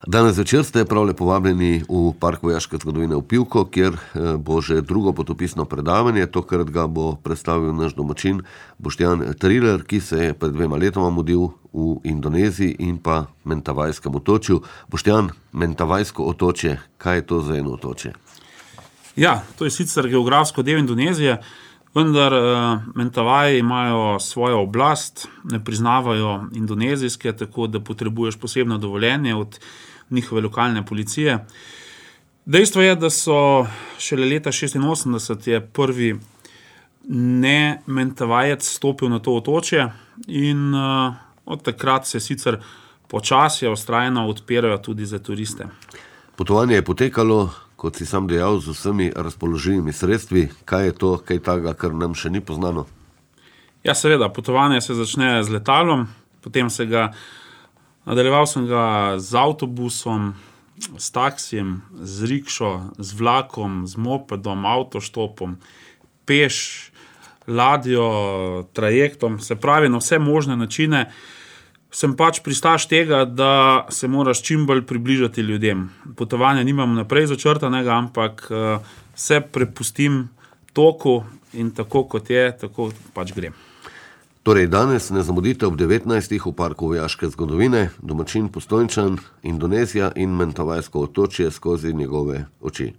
Danes večer ste prav lepo povabljeni v Park vojaške zgodovine v Pivko, kjer bo že drugo potopisno predavanje. Tokrat ga bo predstavil naš domačin Boštjan Trilar, ki se je pred 2 letoma mudil v Indoneziji in pa Mentavajskem otočju. Boštjan, Mentavajsko otočje, kaj je to za eno otočje? Ja, to je sicer geografsko del Indonezije, vendar Mentavaji imajo svojo oblast, ne priznavajo indonezijske, tako da potrebuješ posebno dovoljenje od njihove lokalne policije. Dejstvo je, da so šele leta 1986 je prvi ne Mentavajec stopil na to otočje in od takrat se sicer počasi vztrajno odpirajo tudi za turiste. Potovanje je potekalo, kot si sam dejal, z vsemi razpoložljivimi sredstvi. Kaj je to, kaj takega, kar nam še ni poznano? Ja, seveda, potovanje se začne z letalom, potem nadaljeval sem ga z avtobusom, s taksijem, z rikšo, z vlakom, z mopedom, avtoštopom, peš, ladjo, trajektom, se pravi na vse možne načine. Sem pač pristaš tega, da se moraš čim bolj približati ljudem. Potovanja nimam naprej začrtanega, ampak se prepustim toku in tako kot je, tako pač grem. Torej, danes ne zamudite ob 19. v Parku vojaške zgodovine, domačin Postojnčan, Indonezija in Mentavajsko otočje skozi njegove oči.